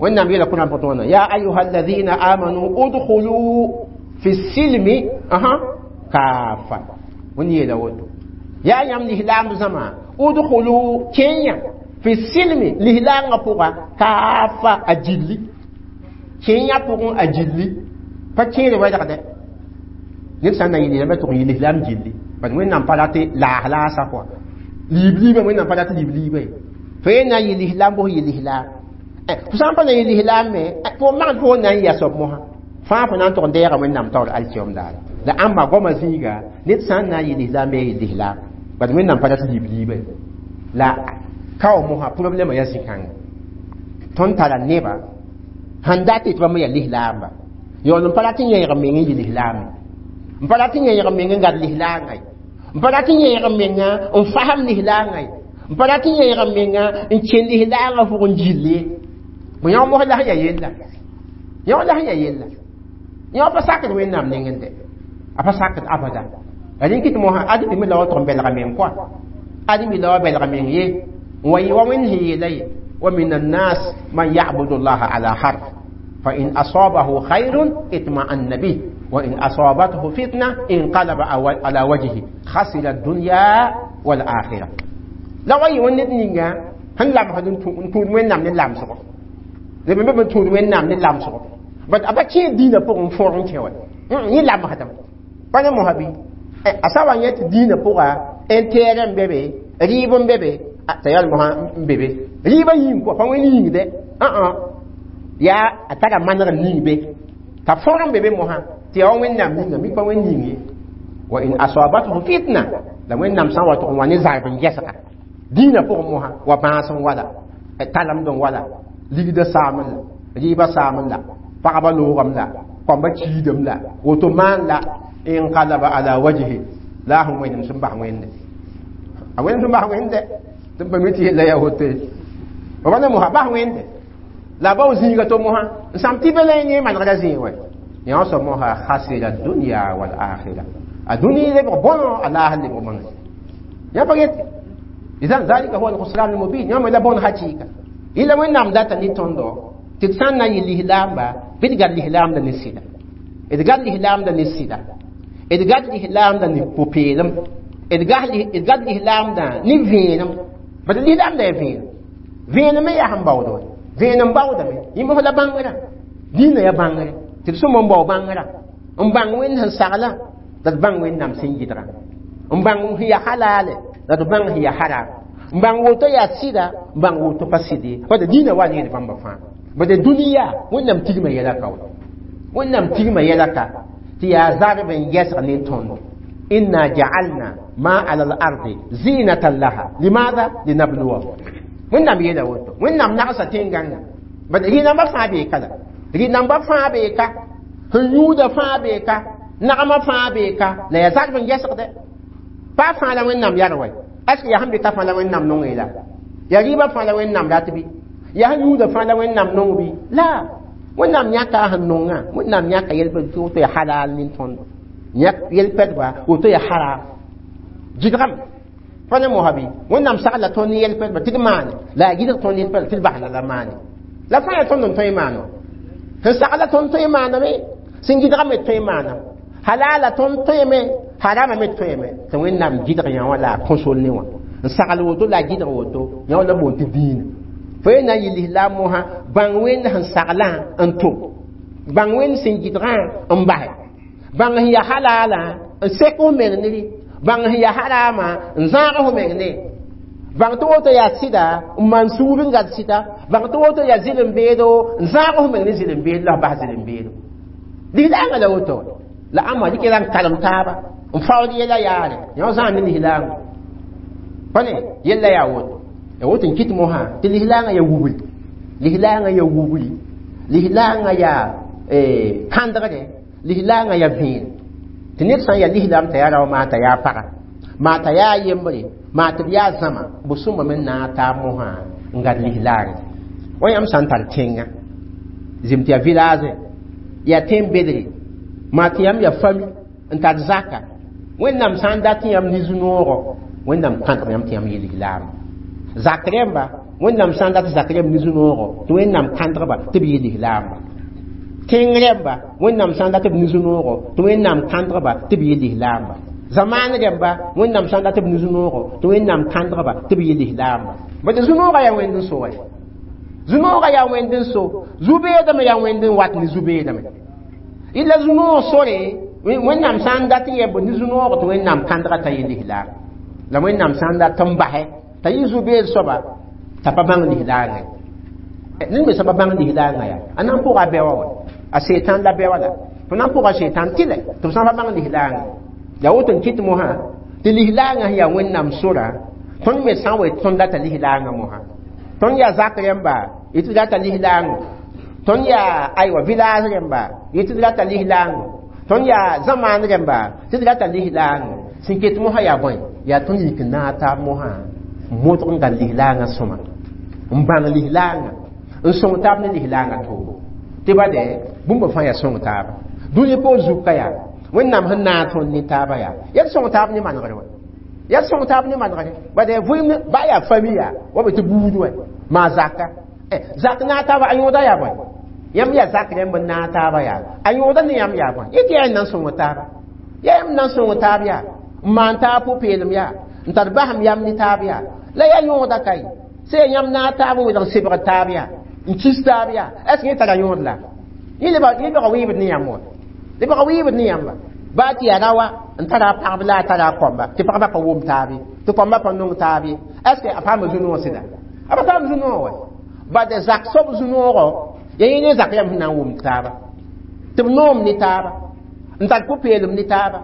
Wẽnnaam yeela Kʋrã pʋgẽ wãna: ya ayuha alladhina amanu udkhulu fi silmi aha kaafa. Wẽnd yeela woto: yaa yãmb lislaamb zãma, udkhulu, kẽnya, fi silmi, lislaangã pʋga, kaafa, a gilli, kẽnya pʋgẽ a gilli, pa kẽer wɛlgdɛ. Ned sã n na yɩ lislaam tʋg n yɩ lislaam gilli, bad Wẽnnaam pa rat laas laasa kɔa, liib liibã, Wẽnnaam pa rat liib liibã ye. Fo ye na n yɩ lislaam bos yɩ lislaam, fo sã n pa na yɩ lislaam me, fo magd fo na n yɩ a soab mosã fãa, fo na n tʋg n deega Wẽnnaam taoor alkiyom daare. La ãmba goamã zĩiga, ned sã n na n yɩ lislaam bɩ yɩ lislaam, bad Wẽnnaam pa rat liib liibã ye. La kao mosã problɛmã yaa zĩ-kãnga. Tõnd tara neba sẽn dat tɩ bãmb yaa lislaamba, yaool n pa rat n yẽeg n meng n yɩ lislaame, n pa rat n yẽeg n meng n gad lislaangã ye, n pa rat n yẽeg n menga n fasem lislaangã ye, n pa rat n yẽeg n menga n kẽn lislaangã pʋgẽ gill ye. Bõ yõ mos la sẽn yaa yella, yõ la sẽn yaa yella, yõ pa sakd Wẽnnaam nengẽ dɛ, a pa sakd abada. La rẽn kɩt mosã ad mi la wa tʋg n belga meng kɔa, ad mi la wa belga meng ye n wa yɩ wa Wẽnd sẽn yeela ye: wa min annas man yabudu llaha ala harf, fa in asabahu khayrun itma'anna bih, wa in asabathu fitna inqalaba ala wajhi khasira ad-dunya wal akhirah. La wa yɩ wa ned ninga sẽn lamsd n tũud Wẽnnaam ne lamsgo, leb n be n tũud Wẽnnaam ne lamsgo, bat a pa kẽed dĩinã pʋgẽ n fõrg n kẽ wa yẽ lamsdame pa ne mosã bɩ a sa wa yẽ tɩ dĩinã pʋga intérêt n be be, rɩɩb n be be, t'a yaa mosã n be be rɩɩbã yĩng kɔa, pa wẽnd yĩng dɛ, yaa a tara maneg n ning be t'a fõrg n be be mosã tɩ yaa wa Wẽnnaam ninga mi pa wẽnd yĩng ye. Wa in asabathu fitna, la Wẽnnaam sã n wa tʋg n wa ne zarb n gɛsga dĩinã pʋgẽ mosã, wa bãas n wala, talemd n wala, ligdã saamẽ la rɩɩbã saamẽ la pagba loogame la kõmba kiidame la woto maan la, inqalaba ala wajhi, la sẽn wẽnem sẽn bas Wẽnde, a wẽnem sẽn bas Wẽnde tɩ pa mi tɩ yella yaa woto ye. Ba ne mosã bas Wẽnde la bao zĩiga to mosã n sãm tɩ be la yẽ manegra zĩig wɛ yõ soab mosã khasira dunya wal akhira, a dũni lebg bõno, a laas lebg bõno yã pa yete. Idan zalika huwa alkhusran almubin, yã me la bõn hakɩɩka. Yɩla Wẽnnaam data ne tõndo tɩ d sã n na n yɩ lislaamba bɩ d gad lislaamda ne sɩda, d gad lislaamda ne sɩda, d gad lislaamda ne pʋ-peelem, d gad lislaamda ne vẽenem. Bad lislaamda yaa vẽenem, vẽenem me yaa sẽn baood wa, vẽenem baoodame yẽ mos la bãngrã, dĩinã yaa bãngre tɩ d sõm n bao bãngrã, n bãng Wẽnd sẽn sagla, la d bãng Wẽnnaam sẽn yɩdga, n bãng sẽn yaa halaale, la d bãng sẽn yaa haram, n bãng woto yaa sɩda, n bãng woto pa sɩd ye. Bad dĩinã wa need bãmba fãa, bad dũniyã Wẽnnaam tigma yɛla ka wa, Wẽnnaam tigma yɛla ka tɩ yaa zarb n gɛsg ne tõndo. Inna ja'alna ma ala al-ardi zinatan laha, limadha? Linabluwahum. Wẽnnaam yeela woto, Wẽnnaam nagsa tẽn-gãngã, bad rɩ-namba fãa bee ka, la rɩ-namba fãa bee ka, sẽn yũuda fãa bee ka, nagmã fãa bee ka, la yaa zarb n gɛsgdɛ. Pa fãa la Wẽnnaam yar wɛ, est ce yaa sẽn be ka fãa la Wẽnnaam nong la yaa rɩɩbã fãa la Wẽnnaam rat bɩ, yaa sẽn yũuda fãa la Wẽnnaam nong bɩ? La Wẽnnaam yãka a sẽn nongã, Wẽnnaam yãka yel tɩ woto yaa halal nin tõndo, yãk yel-pɛdba woto yaa haram gɩdgame pa ne mosã bɩ. Wẽnnaam sagla tõnd ne yel-pɛdba tɩ d maane, la a gɩdg tõnd yel-pɛdba tɩ d basna la maane, la fãa yaa tõnd n tõe n maana, sẽn sagla tõnd tõe n maaname, sẽn gɩdga me tõe n maaname, halala tõnd tõeme, harama me tõeme, tɩ Wẽnnaam gɩdg yã wã la a kõsol ne wã n sagl woto, la a gɩdg woto yã wã la boond tɩ dĩinã. Fo ye na n yɩ lislaam mosã, bãng Wẽnd sẽn saglã n tʋ, bãng Wẽnd sẽn gɩdgã n basɛ, bãng sẽn yaa halala n sek f meng ne, bãng sẽn yaa harama n zãag f meng ne, bãng tɩ woto yaa sɩda n maan sugr n gad sɩda, bãng tɩ woto yaa zɩlem-beedo n zãag f meng ne zɩlem-beedo la f bas zɩlem-beedo. Lislaangã la woto, la ãmba dɩk la n kalem taaba n faood yɛla yaare yõ zãag ne lislaangã pa ne yella yaa woto, ya woto n kɩt mosã tɩ lislaangã yaa wubri, lislaangã yaa wubri, lislaangã yaa kãndgre, lislaangã yaa vẽen tɩ ned sã n yaa lislaam t'a yaa rao maa t'a yaa paga, maa t'a yaa yembre, maa tɩ d yaa zãma bʋ sõmame n na n taab mosã n gad lislaangã wa. Yãmb sã n tar tẽngã zim tɩ yaa village, yaa tẽn-bedre, maa tɩ yãmb yaa fami n tar zaka, Wẽnnaam sã n dat yãmb ne zu-noogɔ, Wẽnnaam kãtg yãmb tɩ yãmb yɩ lislaam zak rẽmba. Wẽnnaam sã n dat zak rẽmb ne zu-noogo tɩ Wẽnnaam kãndgba tɩ b yɩ lislaamba. Tẽng rẽmba, Wẽnnaam sã n dat b ne zu-noogo tɩ Wẽnnaam kãndgba tɩ b yɩ lislaamba. Zamaan rẽmba, Wẽnnaam sã n dat b ne zu-noogo tɩ Wẽnnaam kãndgba tɩ b yɩ lislaamba. Bad zu-noogã yaa Wẽnd n so wa. Zu-noogã yaa Wẽnd n so, zu-beedame yaa Wẽnd n wat ne zu-beedame. Illa zu-noog sore, Wẽnnaam sã n dat n yɛ b ne zu-noogo tɩ Wẽnnaam kãndga t'a yɩ lislaam. La Wẽnnaam sã n dat n basɛ t'a yɩ zu-beed soaba t'a pa bãng lislaangã ye. Ned me sã pa bãng lislaangã yaa, a na n pʋga a bɛwa wa, a setan la bɛwa la fo na n pʋga setan tɩlɛ tɩ b sã n pa bãng lislaangã. Yaa woto n kɩt mosã tɩ lislaangã sẽn yaa Wẽnnaam sora, tõnd me sã n wa tõnd data lislaangã mosã. Tõnd yaa zak rẽmba, yɩ tɩ data lislaango. Tõnd yaa aywa village rẽmba, yɩ tɩ data lislaango. Tõnd yaa zamaan rẽmba, tɩ d rata lislaango. Sẽn ket mosã yaa bõe? Yaa tõnd yik n naag taab mosã n modg n gãn lislaangã sõma, n bãng lislaangã, n sõng taab ne lislaangã toogo. Tɩ bade bũmb fãa yaa sõng taaba. Dũni poor zuka yaa Wẽnnaam sẽn naag tõnd ne taaba yaa yaa d sõng taab ne manegre wa. Yaa d sõng taab ne manegre. Bade vɩɩm ba yaa fami yaa wa be tɩ buud wa maa zaka. Zak naag taaba a yõoda yaa bõe? Yãmb yaa zak rẽmb n naag taaba yaa a yõoda ne yãmb yaa bõe? Yẽ tɩ yaa n na n sõng taaba. Yaa yãmb na n sõng taab yaa n maan taab pʋ-peelem yaa n tar basem yam ne taab yaa la yaa yõoda ka ye. Sã yaa yãmb naag taab n welg sebg taab yaa n kis taab yaa, est ce que yẽ tara yõod la? Yẽ lebga wɩɩbd ne yãmb wa. Lebga wɩɩbd ne yãmba. Baa tɩ yaa rawa n tara a pagb la a tara a kõmba, tɩ pagba pa wʋm taab ye, tɩ kõmba pa nong taab ye, est ce que a paama zu-noog sɩda? A pa paam zu-noog wa. Bad zak soab zu-noogɔ yaa yẽ ne zak yãmb sẽn na n wʋmd taaba, tɩ b noom ne taaba, n tar pʋ-peelem ne taaba,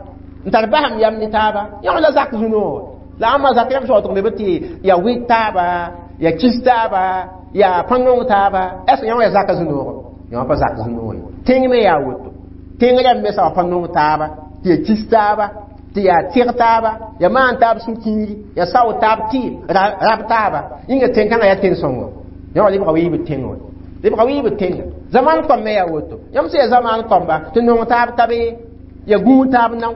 n tar basem yam ne taaba. Yẽ la zak zu-noog. La ãmba zak yãmb soatg me tɩ yaa wɩt taaba, yaa kis taaba, yaa pa nong taaba, est ce que yẽ wã yaa zaka zu-noogɔ? Yẽ wã pa zak zu-noog ye. Tẽng me yaa woto. Tẽng rãmb me sã wa pa nong taaba, tɩ yaa kis taaba, tɩ yaa tɩg taaba, yaa maan taab sũ-kiiri, yaa sao taab tɩɩm, rab taaba. Yĩnga tẽn-kãngã yaa tẽn-sõngo. Yẽ wã lebga wɩɩbd tẽngã wã. Lebga wɩɩbd tẽngã. Zamaan kõm me yaa woto. Yãmb sẽn yaa zamaan kõmba, tɩ nong taab ka be, yaa gũud taab nao,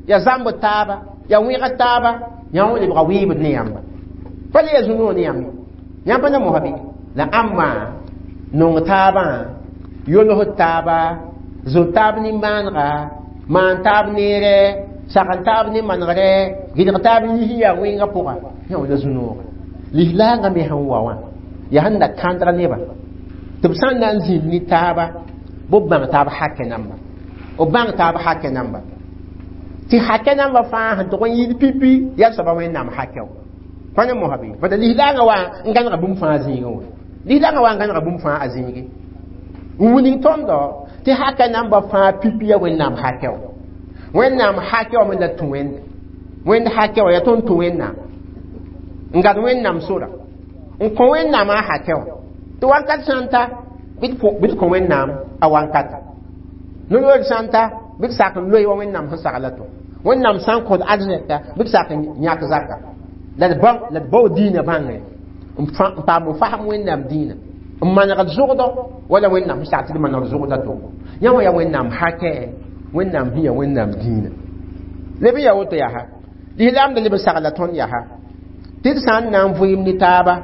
yaa zãmb taaba, yaa wẽgd taaba, yã wã lebga wɩɩbd ne yãmba. Pa le yaa zu-noog ne yãmb ye. Yãmb pa na mosã bɩ? La ãmba nong taabã, yols taaba, zo taab nimbãanega, maan taab neere, sagn taab ne manegre, gɩdg taab yis n yaa wẽngã pʋga, yã wã la zu-nooga. Lislaangã me sẽn wa wã, yaa sẽn da kãndg nebã tɩ b sã n na n zĩnd ne taaba, bɩ b bãng taab hakɛ namba. B bãng taab hakɛ namba. Tɩ hakɛ namba fãa sẽn tʋg n yɩɩd pipi yaa soaba Wẽnnaam hakɛ wa. Pa ne mosã bɩ? Bad lislaangã wa n gãnega bũmb fãa zĩigẽ wã. Lislaangã wa n gãnega bũmb fãa a zĩige. N wilg tõndo tɩ hakɛ namba fãa pipi yaa Wẽnnaam hakɛ wa. Wẽnnaam hakɛ wa me la tũ Wẽnde. Wẽnd hakɛ wa yaa tõnd tũ Wẽnnaam. N gad Wẽnnaam sora. N kõ Wẽnnaam a hakɛ wa. Tɩ wakat sã n ta bɩ d kõ Wẽnnaam a wankata. No-loor sã n ta bɩ d sak n loe wa Wẽnnaam sẽn sagla to. Wẽnnaam sã n kõt arzɛka bɩ d sak n yãk zaka. La d bao diinã bãngre n paam n fasem Wẽnnaam diinã. N manegd zʋgdɔ wala Wẽnnaam sẽn sak tɩ d manegd zʋgdã to. Yã wã yaa Wẽnnaam hakɛ, Wẽnnaam sẽn yaa Wẽnnaam diinã. Leb n yaa woto yaa ha. Lislaam da leb n sagla tõnd yaa ha. Tɩ d sã n na n vɩɩm ne taaba,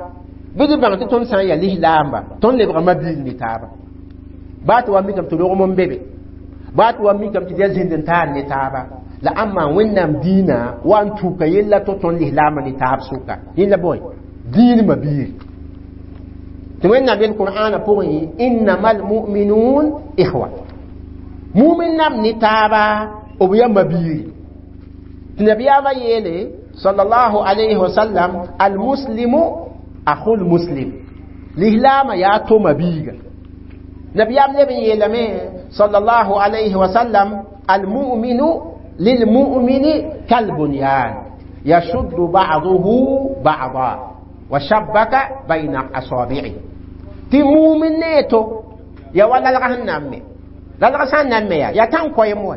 bɩ d bãng tɩ tõnd sã n yaa lislaamba, tõnd lebga mabiig ne taaba. Baa tɩ wa mikame tɩ rogem n be be, baa tɩ wa mikame tɩ d yaa zĩnd n taar ne taaba, la ãmba Wẽnnaam diinã wa n tuka yella tɩ tõnd lislaambã ne taab sʋka. Yẽ la bõe? Diin mabiig. Tɩ Wẽnnaam yel Qur'aanã pʋgẽ, innama almu'minun ikhwa. Mumin nam ne taaba, b yaa mabiig. Tɩ nabiyaamã yeele sallallahu alayhi wa sallam, almuslimu akhul muslim. Lislaamã yaa to mabiiga. Nabiyaam leb n yeelame sallallahu alayhi wa sallam, almu'minu lilmu'mini kalbunyan yashuddu ba'duhu ba'da wa shabbaka bayna asabi'i. Tɩ mumin ne to ya wa lalga sẽn na n me. Lalga sã n na n me yaa tãn koɛɛm wa.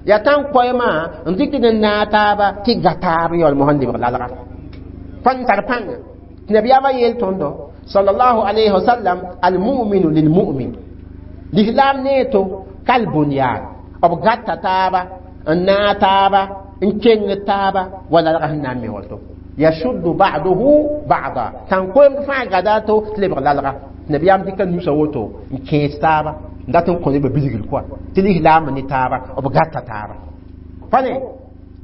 Yaa tãn koɛɛmã n dɩkd n naag taaba tɩ ga taab yaool mosã n lebg lalga. Pa n tar pãnga. Tɩ nabiyaamã yeel tõndo sallallahu alayhi wa sallam, almu'minu lilmu'min. Lislaam ne to kalbunyan. B gata taaba, n naag taaba, n keng taaba wa lalga sẽn na n me woto. Yashuddu ba'duhu ba'da. Tãn-koeemd fãa gada to tɩ lebg lalga. Nabiyaam dɩka nusa woto n kẽes taaba n dat n kõ nebã bilgr kɔa tɩ lislaambã ne taaba b gata taaba. Pa ne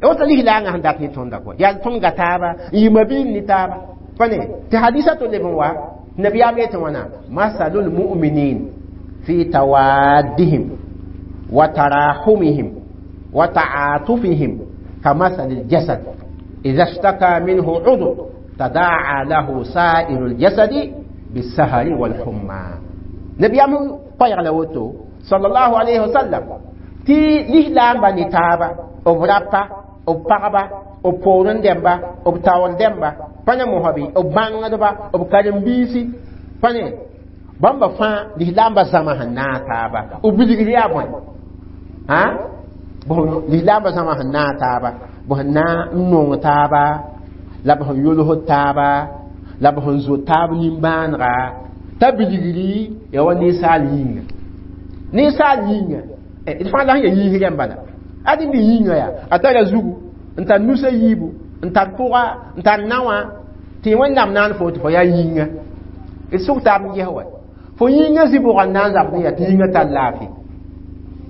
woto lislaangã sẽn dat ne tõnda kɔa yaa tõnd ga taaba n yɩ mabiim ne taaba. Pa ne tɩ hadisa to leb n wa nabiyaam yetɩ wãna masalul mu'minin fi tawaddihim wa tarahumihim wa ta'atufihim كمثل الجسد إذا اشتكى منه عضو تداعى له سائر الجسد بالسهر والحمى. نبي أمو قير لوتو صلى الله عليه وسلم تي لهلام بني تابا أبرابا أبقابا أبورن دمبا أبتاول دمبا فانا مهبي أبانغدبا أبكارم بيسي فانا بامبا فا لهلام بزمان ناتابا أبلغريا بوين ها lislaambã zãma sẽn naag taaba b sẽn na n nong taaba la b sẽn yolsd taaba la b sẽn zo taab nimbãanega t'a bilgri ya wa ninsaal yĩnga ninsaal yĩnga d fãa la sẽn ya yĩns rẽmba la ad n bɩ yĩnga yaa a tara zugu n tar nusa yiibu n tar pʋga n tar naowã tɩ Wẽnnaam naan fo tɩ fo yaa yĩnga d sʋg taab n ges wa fo yĩnga zĩ-bʋgã n na n zabd n yaa tɩ yĩnga tar laafɩ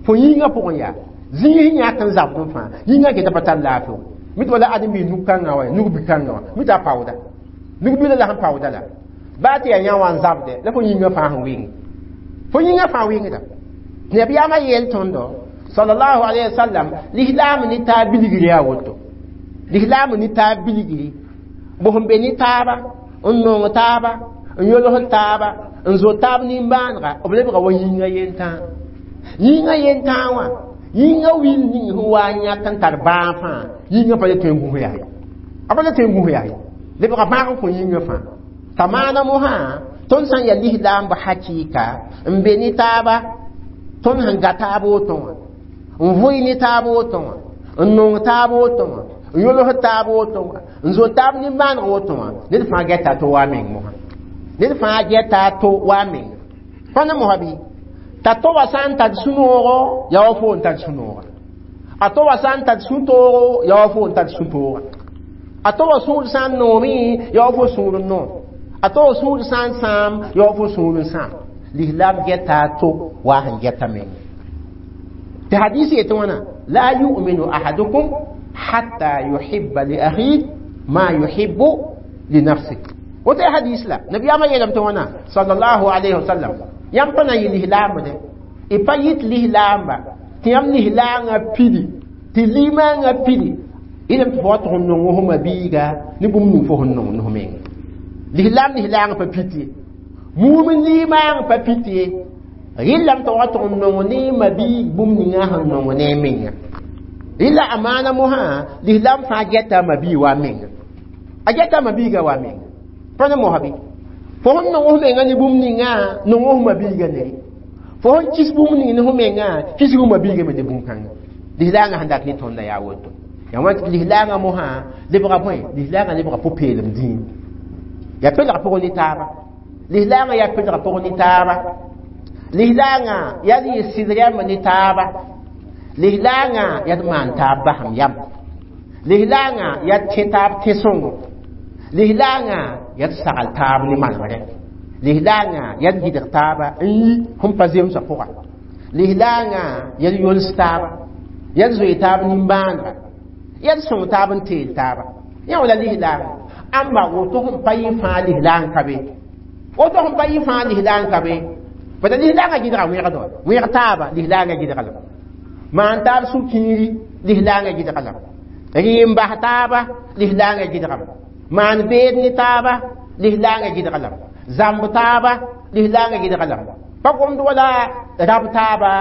fo yĩnga pʋgẽ yaa zĩis yãk n zabd n fãa yĩngã geta pa tar laafɩ mi tɩ wala ãdem-biis nug-kãngã wa nug-bi-kãngã wã mi tɩ a paooda nug-bila la sẽn paooda la baa tɩ yaa yã wã n zabde la fo yĩngã fãa sẽn wɩng fo yĩngã fãa wɩngda nabiyaamã yeel tõndo sallallahu alaihi wasallam lislaam ne taab bilgri yaa woto lislaam ne taab bilgri b sẽn be ne taaba n nong taaba n yolsd taaba n zo taab nimbãanega b lebga wa yĩngã yentãa yĩngã yentãa wã yĩngã wil ning sẽn wa n yãk n tar bãag fãa yĩngã pa le tõe n gũs yaa a pa le tõe n gũs yaa lebga bãag n kõ yĩngã fãa t'a maana mosã tõnd sã n yaa lislaambã hakɩɩka n be ne taaba tõnd sẽn ga taab woto wã n vʋɩ ne taab woto wã n nong taab woto wã n yols taab woto wã n zo taab nimbãaneg woto wã ned fãa gɛta to wa meng mosã ned fãa gɛta to wa meng fãna mosã bɩ t'a to wa sã n tar sũ-noogo yaa wa fo n tar sũ-nooga a to wa sã n tar sũ-toogo yaa wa fo n tar sũ-tooga a to wa sũur sã n noome yaa wa fo sũur n noom a to wa sũur sã n sãam yaa wa fo sũur n sãam lislaam gɛta to wa sẽn gɛta meng tɩ hadis yetɩ wãna la yu'minu ahadukum hatta yuhibba li akhih ma yuhibbu li nafsih woto ya hadis la nabiyaamã yeelame tɩ wãna sallallahu alayhi wa sallam yãmb pa na n yɩ lislaambde y pa yɩt lislaamba tɩ yãmb lislaangã pidi tɩ limaangã pidi yɩlame tɩ fo wa tʋg n nong f mabiiga ne bũmb ning fo sẽn nong ne f menga lislaam lislaangã pa pit ye muum limaang pa pit ye rɩllame tɩ wa tʋg n nong ne mabiig bũmb ninga sẽn nong ne menga rɩla a maana mosã lislaam fãa gɛta a mabiig wa menga a gɛta a mabiiga wa menga pa ne mosã bɩ fo sẽn nong f menga ne bũmb ninga nong f mabiiga nere fo sẽn kis bũmb ning ne f menga kis f mabiiga me ne bũmb-kãnga lislaangã sẽn dat ne tõnda yaa woto yaa wã lislaangã mosã lebga bõe lislaangã lebga pʋ-peelem dĩin yaa pelg pʋgẽ ne taaba lislaangã yaa pelg pʋgẽ ne taaba lislaangã yaa d yɩ sɩd rɛmb ne taaba lislaangã yaa d maan taab basem yam lislaangã yaa d tẽ taab tẽ-sõngo lislaangã yaa d sagl taab ne manemrẽ lislaangã yaa d gɩdg taaba n yi sẽn pa zemsã pʋga lislaangã yaa d yols taaba yaa d zoe taab nimbãanega yaa d sõng taab n teel taaba yã wala lislaangã ãmba woto sẽn pa yɩ fãa lislaang ka be woto sẽn pa yɩ fãa lislaang ka be bala lislaangã gɩdga wẽgd wa wẽg taaba lislaangã gɩdga lame maan taab sũ-kiiri lislaangã gɩdga lame rɩ n bas taaba lislaangã gɩdgame maan beed ne taaba lislaangã gɩdga lame zãmb taaba lislaangã gɩdga lame pa gomd wala rab taaba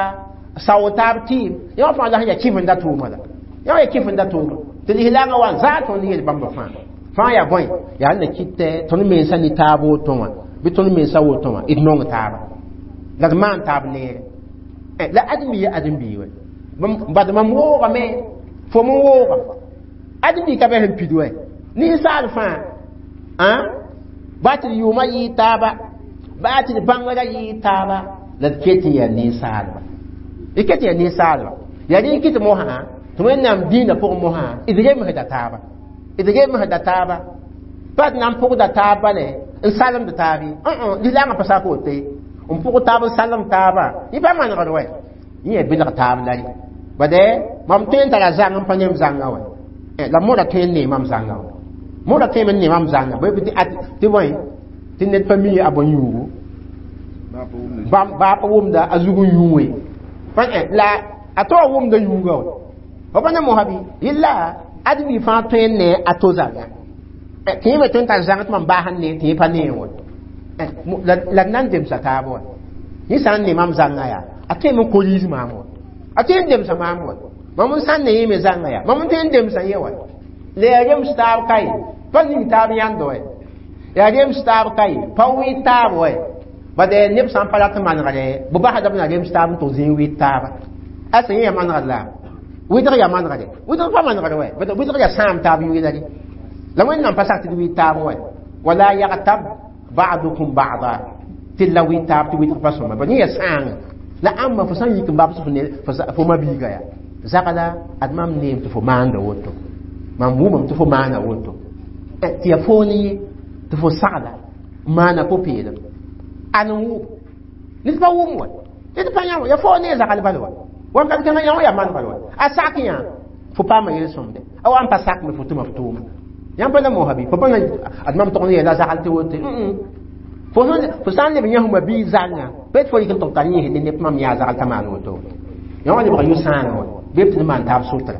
sao taab tɩɩm yã wã fãa la sẽn yaa kɩfenda tʋʋma la yã wã yaa kɩfenda tʋʋma tɩ lislaangã wa n zaa tõnd yel bãmba fãa fãa yaa bõe yaa na kɩtɛ tõnd mensa ne taab woto wã bɩ tõnd mensa woto wã d nong taaba la d maan taab neere la ãdem-bi ya ãdem-bi wɛ bad mam woogame fo m wooga ãdem-bi ka bɛ sẽn pid wɛ ninsaal fãa baa tɩ d yʋʋmã yɩɩ taaba baa tɩ d bãngrã yɩɩ taaba la d ket n yaa ninsaalba d ket n yaa ninsaalba yaa rẽ kɩt mosã tɩ Wẽnnaam dĩinã pʋgẽ mosã d remsda taaba D remsda taaba pa d na n pʋgda taab bale n salemd taab ye lislaangã pa sak woto ye n pʋg taab n salem taabã yẽ pa manegd wɛ yẽ yaa belg taab la ye bade mam tõe n tara zãng n pa nem zãnga wɛ la moda tõe n nee mam zãnga wɛ moda tõe n nee mam zãnga tɩ bõe tɩ ned pa mi a bõn-yũugu baa pa wʋmda a zug n yũ la a to a wʋmda yũuga wɛ fo pa ne mosa bɩ yella ad bi fãa tõe n nee a to zãnga tɩ yẽ me tõe n tar zãng tɩ mam baa sẽn nee tɩ yẽ pa nee wɛ la d na n demsa taab wɛ yẽ sã n ne mam zãnga yaa a tõeme n koriis maam wɛ a tõe n demsa maam wɛ mam n sã n ne yẽ me zãnga yaa mam n tõe n demsa yẽ wɛ la yaa rems taab kae pa ning taab yãnd wɛ yaa rems taab kae pa wɩɩ taab wɛ bade neb sã n pa rat n manegre bɩ basda b na rems taab n tʋg zĩig wɩɩd taaba a sẽn yẽ yaa manegr la wɩdg yaa manegre wɩdg pa manegr wɛ wɩdg yaa sãam taab yʋɩla re la wẽnnaam pa sak tɩ d wɩɩd taab wɛ wala yagtab ba'dukum ba'da tɩ la wɩɩd taab tɩ wɩdg pa sõma ba yẽ yaa sãanga la ãmba fo sã n yik n babs fo mabiiga yaa zagla ad mam neem tɩ fo maanda woto mam wʋmame tɩ fo maana woto tɩ yaa foon ye tɩ fo sagla n maana pʋ-peelem an n wʋm ned pa wʋm wa ned pa yã wa yaa fo ne zagl bal wa wakat kãngã yã wã yaa manegr wa a sak yã fo paama yel-sõmde a wa n pa sak me fo tʋma f tʋʋma yãmb pa na moosã bɩ fo pa na ad mam tog n yeela zagl tɩ wote fo sã n leb yã fo bii zãnga pa tɩ fo yik n tʋg tar yẽsd ne neb mam yaa zagl t'a maan woto yã wã lebga yʋ-sãanga wa bɩ tɩ maan taab sʋtra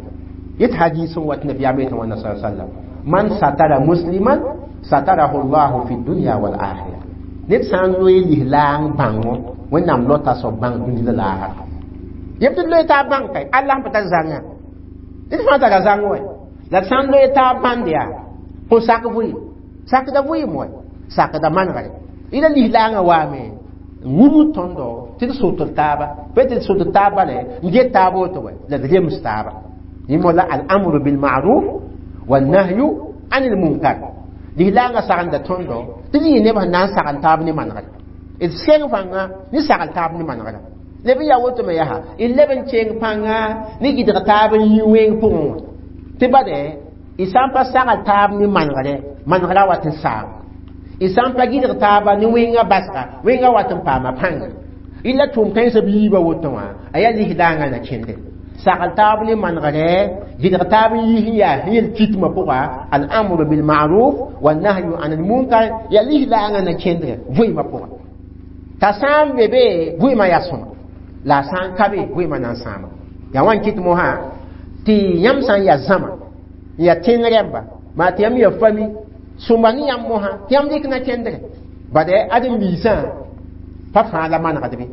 yet hadis n wat nabiyaam yetẽ wãnna sa sallam man satara musliman satarahu llahu fi dunya wal akhira ned sã n loe lislaang bãngo wẽnnaam lota soab bãng dũni la laasra yeb tɩ d loe taab bãng kae Allah n pa tar zãnga ned fãa tara zãng wɛ la d sã n loe taab bãnd yaa kõn sak vɩɩm sakda vɩɩm wɛ sakda manegre ila lislaangã waame n wubd tõndo tɩ d sʋtd taaba pa tɩ d sʋtd taab bale n get taab woto wɛ la d rems taaba yẽ mola al-amru bil-ma'ruf wal-nahyu anil munkar lislaangã sagenda tõndo tɩ d yɩ neb sẽn na n sagl taab ne manegre d seng pãnga ne sagl taab ne manegra leb n yaa woto me yaa d leb n keng pãnga ne gɩdg taab n yĩ wẽng pʋgẽ wã tɩ bade y sã n pa sagl taab ne manegre manegra wat n saam y sã n pa gɩdg taaba ne wẽngã basga wẽngã wat n paama pãnga y la tʋʋm kãensã b yiibã woto wã a yaa lislaangã na kẽnde sagl taab ne manegre gɩdg taab n yis n yaa sẽn yel kitmã pʋga al-amru bil-ma'ruf wa-nahyu an al-munkar yaa lislaangã na kẽndre vɩɩmã pʋga t'a sã n be be vɩɩmã yaa sõma la a sã n ka be vɩɩmã na n sãama yaa wã n kɩt mosã tɩ yãmb sã n yaa zãma n yaa tẽng rẽmba maa tɩ yãmb yaa fami sõmba ne yãmb mosã tɩ yãmb dɩk na kẽndre bade ãdem-biisã pa fãa la manegd bɩ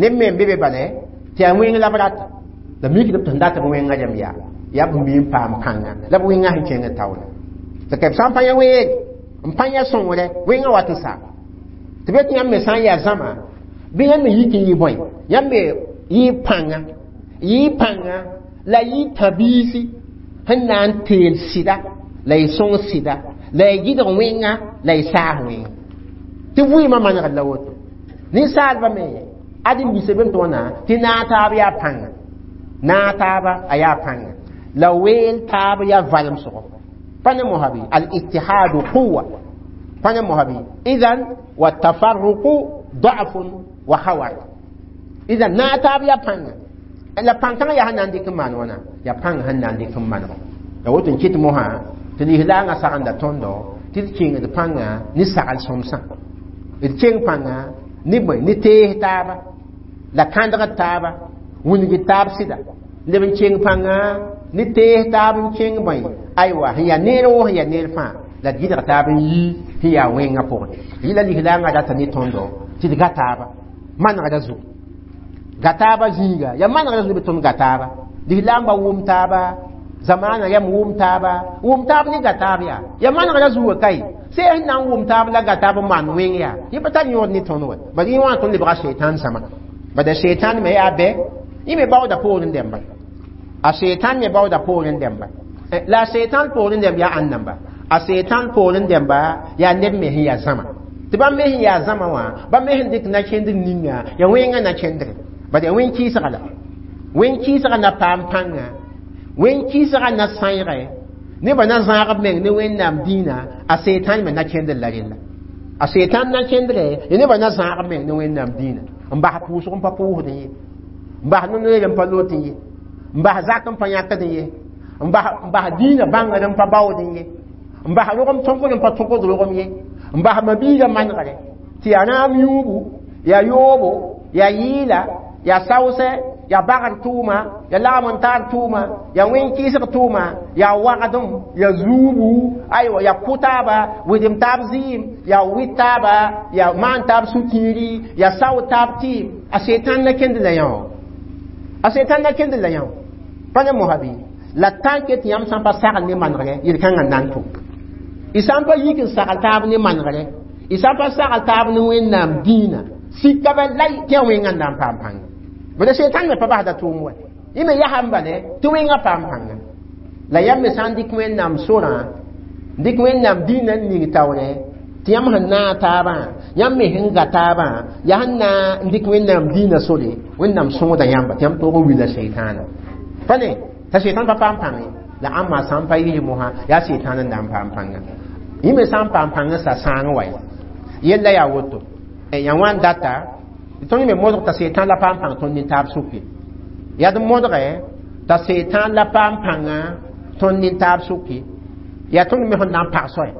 neb me n be be bale tɩ yaa wẽng la b rata la mikdb tɩ sẽn dat b wẽngã rẽmb yaa yaa b mi n paam pãnga la b wẽngã sẽn kẽng taoora tɩ ka b sã n pa yã weeg n pa yã sõngre wẽngã wat n saam tɩ be tɩ yãmb me sã n yaa zãma bɩ yãmb me yik n yɩ bõe yãmb me yɩ pãnga yɩ pãnga la yɩ tãbiisi sẽn na n teel sɩda la y sõng sɩda la y gɩdg wẽnga la y saas wẽnga tɩ vɩɩmã manegd la woto ninsaalba me ãdem-biisã bem tɩ wãna tɩ naag taab yaa pãnga naag taaba a yaa pãnga la weel taab yaa valemsgo pa ne mosã bɩ al-ittihadu quwa pa ne mosã bɩ idan watafarruqu da'fun wa khawar idan naag taab yaa pãnga la pãn-kãngã yaa sẽn na n dɩk n maan wãna yaa pãng sẽn na n dɩk n manego la woto n kɩt mosã tɩ lislaangã sagenda tõndo tɩ d kẽngd pãnga ne sagl sõmsã d keng pãnga ne bõe ne tees taaba la kãndgd taaba wingd taab sɩda leb n keng pãnga ne tees taab n kẽng bõe aywa sẽn yaa neer woo sẽn yaa neer fãa la d gɩdg taab n yi sẽn yaa wẽngã pʋgẽ yɩla lislaangã rata ne tõndo tɩ d ga taaba manegda zugu ga taaba zĩiga yaa manegda zugu bɩ tõnd ga taaba lislaambã wʋm taaba zamaana yam wʋm taaba wʋm taab ne ga taab yaa yaa manegda zuga kae sẽn sẽn na n wʋm taab la ga taab n maan wẽng yaa yẽ pa tar yõod ne tõnd wɛ bad yẽ wã tõnd lebga setan sãma bad a setan me yaa bɛ yẽ me baooda poorẽ dẽmba a setan me baooda poorẽ dẽmba la a setan poorẽ dẽmb yaa ãn namba a setan poorẽ dẽmba yaa neb me sẽn yaa zãma tɩ bãmb me sẽn yaa zãma wã bãmb me sẽn dɩk na-kẽndr ninga yaa wẽngã na-kẽndre bad yaa wẽn-kɩɩsga la wẽn-kɩɩsga na paam pãnga wẽn-kɩɩsga na sãeege Nebã na zãag b meng ne Wẽnnaam dĩinã, a Sɛtãn me na kẽndr la rella. A Sɛtãn na kẽndre ya nebã na zãag b meng ne Wẽnnaam dĩinã, n bas pʋʋsg n pa pʋʋsdẽ ye, n bas no-noeer n pa lot ye, n bas zak n pa yãkdẽ ye, n bas dĩinã bãngr n pa baoodẽ ye, n bas rogem tõkd n pa tõkd rogem ye, n bas mabiigã manegre tɩ yaa rãam yũubu, yaa yoobo, yaa yɩɩla, yaa saoosɛ, yaa bagr tʋʋma, yaa lagm n taar tʋʋma, yaa wẽn-kɩɩsg tʋʋma, yaa wagdem, yaa zuubu, aywa, yaa kʋ-taaba, wedem taab zɩɩm, yaa wɩt taaba, yaa maan taab sũ-kiiri, yaa sao taab tɩɩm. A Sɛtãn na kẽnd la yã. A Sɛtãn na kẽnd la yã pa ne mosa bɩ la tãnke tɩ yãmb sã n pa sagl ne manegre yel-kãngã n na n tʋm. Y sã n pa yik n sagl taab ne manegre, y sã n pa sagl taab ne Wẽnnaam dĩinã, sika ba lay tɩ yaa wẽngã n na n paam pãnga. Bala Sɛtãn me pa basda tʋʋm wa, yẽ me yasame bale tɩ wẽngã paam pãnga. La yãmb me sã n dɩk Wẽnnaam sorã, dɩk Wẽnnaam dĩinã n ning taoore tɩ yãmb sẽn naag taabã, yãmb me sẽn ga taabã, yaa sẽn na n dɩk Wẽnnaam dĩinã sore, Wẽnnaam sõoda yãmba tɩ yãmb toog n wila Sɛtãana. Pa ne t'a Sɛtãn pa paam pãng ye. La ãmba sã n pa yɩs mosã, yaa Sɛtãn n na n paam pãnga. Yẽ me sã n paam pãng sa sãang wa yella yaa woto. Yaa wãn data tɩ tõnd me modg t'a Sɛtãn la paam pãng tõnd nin-taab sʋke. Yaa d modge t'a Sɛtãn la paam pãnga tõnd nin-taab sʋke. Yaa tõnd me sẽn na n pag soaya.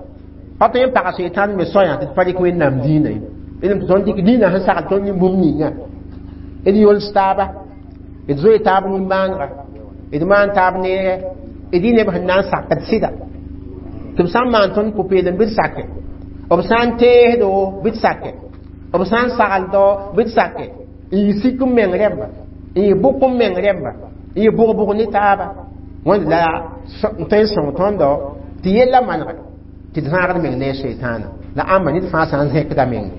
Pa tõe n paga Sɛtãn me soayã tɩ d pa rɩk Wẽnnaam dĩinã ye. D tõnd dɩk dĩinã sẽn sagl tõnd ne bũmb ninga. D yols taaba, d zoe taab nimbãanega, d maan taab neere, d yɩ neb sẽn na n sakd sɩda. Tɩ b sã n maan tõnd pʋ-peelem bɩ d sake, b sã n teesdo bɩ d sake, b sã n sagldo bɩ d sake, n yɩ sik n meng rẽmba, n yɩ bʋk n meng rẽmba, n yɩ bʋg-bʋg ne taaba. Wẽnd la n tõe n sõng tõndo tɩ yella manegre tɩ d zãagd meng ne a Sɛtãana. La ãmba ned fãa sã n zẽkda menga,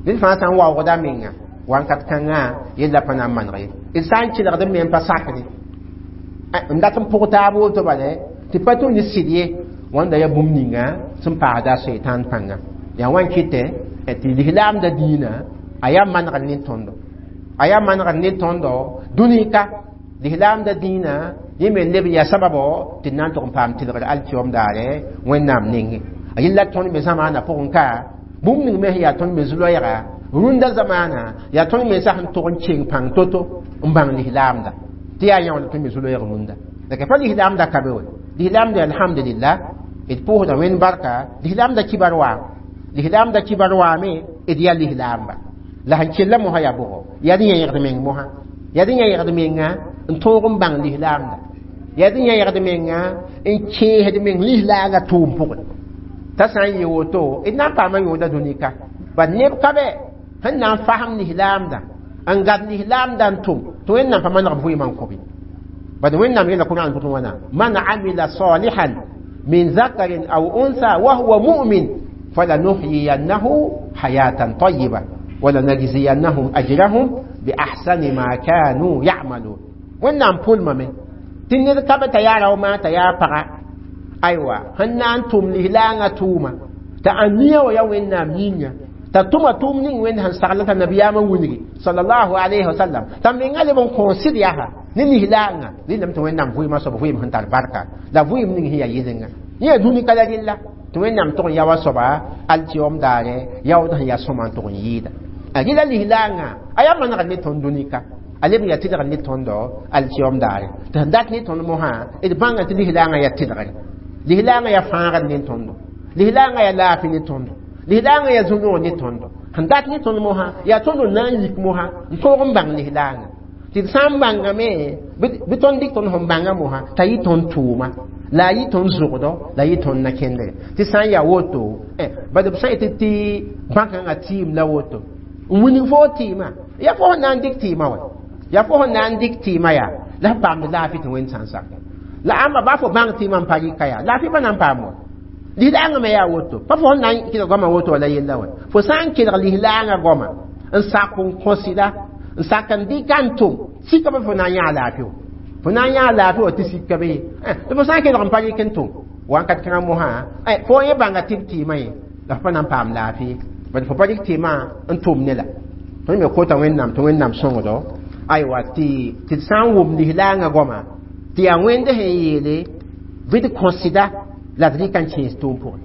ned fãa sã n waoogda menga, wakat kãngã yella pa na n maneg ye. D sã n kelgd n me n pa sakde n dat n pʋg taab woto bale tɩ pa tʋ ne sɩd ye, wãnda yaa bũmb ninga sẽn paasda a Sɛtãn pãnga. Yaa wãn kɩtɛ tɩ lislaamda dĩinã a yaa manegr ne tõndo, a yaa manegr ne tõndo dũnika. Lislaamda dĩinã yẽ me leb yaa sababo tɩ d na n tʋg n paam tɩlgr alkiyoom daare Wẽnnaam nengẽ. A yella tõnd me zamaana pʋgẽ ka bũmb ning me sẽn yaa tõnd me zu-loɛɛga rũndã zamaana, yaa tõnd mensã sẽn tʋg n keng pãng to-to n bãng lislaamda tɩ yaa yã wã la tõnd me zu-loɛɛg rũndã. La pa lislaamda ka be wa. Lislaamda, alhamdulillah, d pʋʋsda Wẽnd barka, lislaamda kibar waam, lislaamda kibar waame, d yaa lislaamba. La sẽn kella mosã yaa bʋgo, yaa d yẽegd meng mosã, yaa d yẽegd menga n tõog n bãng lislaamda, yaa d yẽegd menga n kẽesd meng lislaangã tʋʋm pʋgẽ. T'a sã n yɩ woto, d na n paama yõoda dũnika. Bad neb ka bɛ sẽn na n fasem lislaamda, n gad lislaamda n tʋm tɩ Wẽnnaam pa maneg b vɩɩmã n kõ-b ye. Bad Wẽnnaam yeela Kurãn pʋgẽ wãna: man amila salihan min zakarin aw unsa wa huwa mu'min falanuhyiyannahu hayatan tayyiba walanajziyannahum ajrahum bi ahsani ma kanu ya'malun. Wẽnnaam pʋlmame tɩ ned ka be t'a yaa rao maa t'a yaa paga, aywa, sẽn na n tʋm lislaangã tʋʋma t'a ãnia wa yaa Wẽnnaam yĩnga, t'a tʋma tʋʋm ning Wẽnd sẽn sagl t'a nabiyaamã wilgi sallallahu alayhi wa sallam, t'a menga leb n kõo sɩd yaa ne lislaangã, rẽndame tɩ Wẽnnaam vɩɩmã soab vɩɩm sẽn tar barka la vɩɩm ning sẽn yaa yɩlenga. Yẽ yaa dũni ka la rella tɩ Wẽnnaam tʋg n ya wa soaba alkiyoom daare yaood sẽn yaa sõma n tʋg n yɩɩda. A rɩla lislaangã a yaa manegr ne tõnd dũnika, a leb n yaa tɩlgr ne tõndo alkiyoom daare. Tɩ sẽn dat ne tõnd mosã, d bãnga tɩ lislaangã yaa tɩlgre, lislaangã yaa fãagr ne tõndo, lislaangã yaa laafɩ ne tõndo, lislaangã yaa zu-noog ne tõndo. Sẽn dat ne tõnd mosã yaa tõnd n na n yik mosã n tõog n bãng lislaangã. Tɩ d sã n bãngame bɩ tõnd dɩk tõnd sẽn bãnga mosã t'a yɩ tõnd tʋʋma, la a yɩ tõnd zʋgdɔ, la a yɩ tõnd na-kẽndre. Tɩ sã n yaa woto, bad b sã yetɩ tɩ bãkãngã tɩɩm la woto n wilg foo tɩɩmã, yaa fo sẽn na n dɩk tɩɩmã wa, yaa fo sẽn na n dɩk tɩɩmã yaa la f paamd laafɩ tɩ Wẽnd sã n sak. La ãmba baa fo bãng tɩɩmã n pa rɩka yaa laafɩ pa na n paam wa. Lislaangã me yaa woto, pa fo sẽn na n kelg goamã woto wala yella wa. Fo sã n kelg lislaangã goama n sak n kõ sɩda, n sak n dɩka n tʋm, sika bɩ fo na n yãa laafɩ wa, fo na n yãa laafɩ wa tɩ sika be ye. Tɩ fo sã n kelg n pa rɩk n tʋm wakat kãngã mosã, fo yẽ bãnga tɩ b tɩɩmã ye, la fo pa na n paam laafɩ ye, bad fo pa rɩk tɩɩmã n tʋm ne la. Tõnd me kota Wẽnnaam tɩ Wẽnnaam sõngdo, aywa, tɩ d sã n wʋm lislaangã goama tɩ yaa Wẽnd sẽn yeele Bɩ d kõsɩda la d rɩka n kẽes tʋʋm pʋgẽ.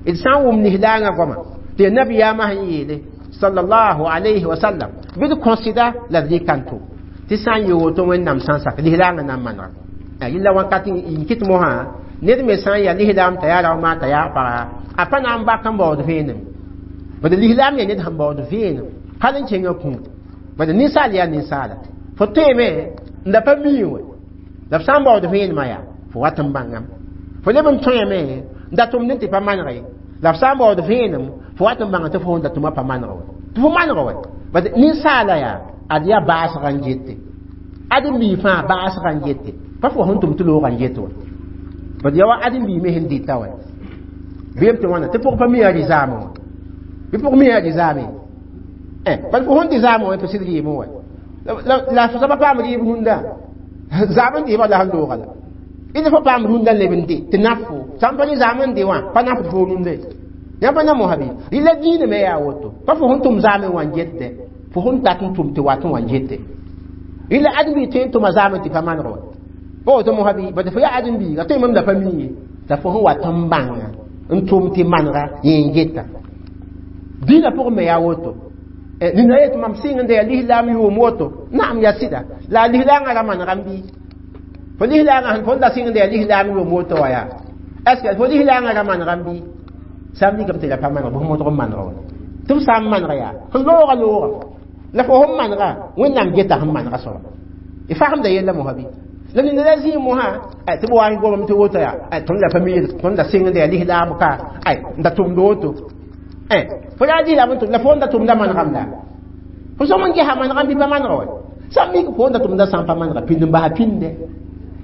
D sã n wʋm lislaangã goama tɩ nabiyaamã sẽn yeele sallallahu alayhi wa sallam, bɩ d kõsɩda la d rɩka n tʋm. Tɩ sã n yɩ woto Wẽnnaam sã n sak lislaangã na n manegame. Yɩlla wakat n kɩt mosã ned me sã n yaa lislaam t'a yaa rao t'a yaa paga, a pa na n bak n baood vẽenem. Bad lislaam yaa ned sẽn baood vẽenem hal n kẽngã kũum. Bad ninsaal yaa ninsaala, fo tõeme n da pa mii wɛ, la f sã n baood vẽenemã yaa fo wat n bãngame. Fo leb n tõeme n da tʋmd n tɩ pa maneg ye, la f sã n baood vẽenem fo wat n bãnga tɩ fo sẽn da tʋma pa maneg wɛ, tɩ fo maneg wɛ. Bad ninsaala yaa ad yaa baasgã n gete, ad n bii fãa baasgã n gete, pa fo sẽn tʋm tɩ loogã n get wɛ. Bad yaa wa ad n bii me sẽn dɩta wɛ bɩ tɩ wãna tɩ pʋg pa mi yaa rɩ-zaamẽ wã, bɩ pʋg mi yaa rɩ-zaamẽ, bad fo sẽn dɩ zaamẽ wã tɩ sɩd rɩɩmẽ wɛ, la fo soaba paam rɩɩb rũndã zaam n dɩɩbã la sẽn looga la d fo paam rũndã leb n dɩ tɩ naf fo sã n pa rɩ zaam n dɩ wã pa nafd fo rũndã yãmb pa na mosã bɩ rɩ la diinã me yaa woto, pa fo sẽn tʋm zaamẽ wã n getdɛ, fo sẽn dat n tʋm tɩ wat n wa n gete. Rɩ la ãdem-biig tõe n tʋma zaamẽ tɩ pa maneg wɛ, pa woto mosã bɩ, bad fo yaa ãdem-biiga tõe mam la pa mi ye, la fo sẽn wat n bãnga n tʋm tɩ manega yẽ n geta. Dĩinã pʋgẽ me yaa woto, nina yet mam sɩng n da yaa lislaam yʋʋm woto, naam yaa sɩda, la a lislaangã ra manegame bɩ fo lislaangã sẽn fo n da sɩng n da yaa lislaam yʋʋm woto wã yaa, est ce que fo lislaangã ra manegame bɩ? Sã n mikame tɩ la pa maneg, bɩ f modg n manega wã, tɩ f sã n manega yaa sẽn looga looga la fo sẽn manega Wẽnnaam geta sẽn manega soaba. Y fagemda yella mosã bɩ? La nina la zĩig mosã tɩ b wa n gomame tɩ woto yaa tõnd la pa mi tõnd da sɩng n da yaa lislaam ka n da tʋmd woto, fo yaa lislaam n tʋm la fo n da tʋmda manegame la fo sõm n gesa manegame bɩ pa manega wɛ. Sã n mik fo n da tʋmda sã n pa manega, pĩnd n basa pĩnde,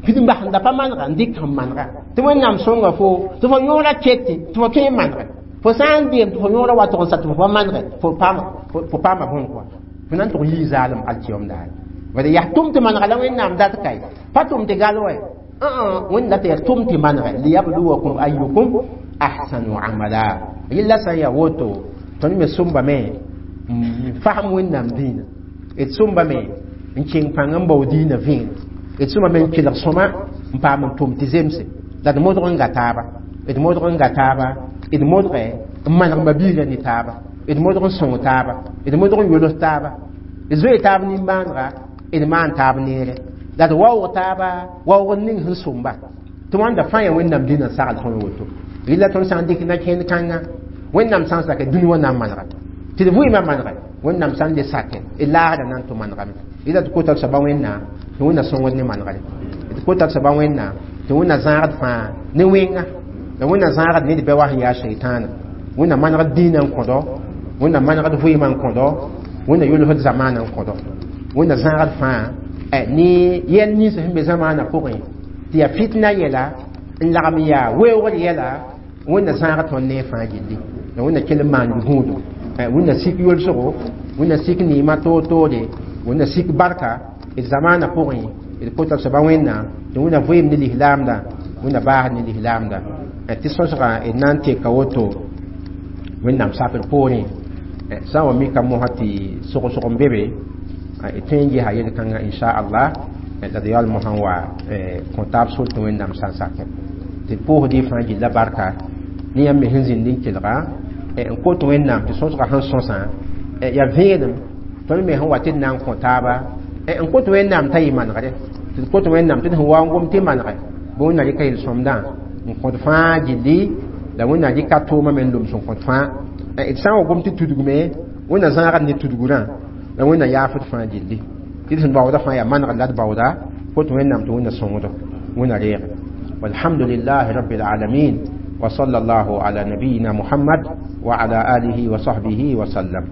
pĩnd n bas n da pa manega n dɩk sẽn manega tɩ Wẽnnaam sõnga fo tɩ fo yõora kete tɩ fo tõe n manege. Fo sã n deem tɩ fo yõora wa tʋg n sa tɩ fo pa manege, fo paama bõn kɔa fo na n tʋg yii zaalem alkiyom daare. Bad yaa tʋm tɩ manega la Wẽnnaam dat kae, pa tʋm tɩ gal wɛ, Wẽnd la tɩ yaa tʋm tɩ manege liyabluwakum ayyukum ahsanu amala. Yella sã n yaa woto tõnd me sõmbame n fasem Wẽnnaam dĩinã, d sõmbame n kẽng pãng n bao dĩinã vẽene, d sõmbame n kelg sõma n paam n tʋm tɩ zemse, la d modg n ga taaba, d modg n ga taaba, d modge n maneg mabiigã ne taaba, d modg n sõng taaba, d modg n yols taaba, d zoe taab nimbãanega, d maan taab neere, la d waoog taaba waoog n ning sẽn sõmba tɩ wãnda fãa yaa Wẽnnaam dĩnã n sagl tõnd woto. Rɩla tõnd sã n dɩk na-kẽnd kãnga Wẽnnaam sã n sake dũni wã na n manega tɩ d vɩɩmã manege, Wẽnnaam sã n le sake d laasdã na n tʋ manegame. Rɩla tɩ kota d soaba Wẽnnaam tɩ Wẽnna sõngd ne manegre, tɩ kota d soaba Wẽnnaam tɩ Wẽnna zãagd fãa ne wẽnga, la Wẽnna zãagd ned bɛ wa sẽn yaa seitaana. Wẽnna manegd dĩinã n kõdo, Wẽnna manegd vɩɩmã n kõdo, Wẽnna yolsd zamaanã n kõdo, Wẽnna zãagd fãa ne yɛl nins sẽn be zamaanã pʋgẽ tɩ yaa fitna yɛla n lagem yaa weoogr yɛla. Wẽnna zãag tõnd ne fãa gilli, la Wẽnna kell n maan gũudo, Wẽnna sik yolsgo, Wẽnna sik neemã toor-toore, Wẽnna sik barka d zamaanã pʋgẽ. D kota d soaba Wẽnnaam tɩ Wẽnna vɩɩm ne lislaamdã, Wẽnna baasd ne lislaamdã, tɩ sõsgã d na n teka woto Wẽnnaam sakr poorẽ. Sã n wa mika mosã tɩ sogsg n be be, d tõe n gesa yel-kãngã inchallah, la d yaool mosã n wa kõ taab sor tɩ Wẽnnaam sã n sakẽ tɩ d pʋʋsd y fãa gilla barka ne yãmb me sẽn zĩnd n kelga n kot Wẽnnaam tɩ sõsgã sẽn sõsã yaa vẽenem tõnd me sẽn wa tɩ d na n kõ taaba n kot Wẽnnaam t'a yɩ manegre, tɩ d kot Wẽnnaam tɩ d sẽn wa n gom tɩ manege bɩ Wẽnna rɩka yel-sõmdã n kõt fãa gilli, la Wẽnna rɩka tʋʋmã me n loms n kõt fãa. D sã n wa gom tɩ tudgume, Wẽnna zãagd ne tudgurã, la Wẽnna yaafd fãa gilli tɩ d sẽn baooda fãa yaa manegr la d baooda kot Wẽnnaam tɩ Wẽnna sõngdo, Wẽnna reege. Walhamdulillahi rabbil alamin, wa sallallahu ala nabiyina Muhammad wa ala alihi wa sahbihi wa sallam.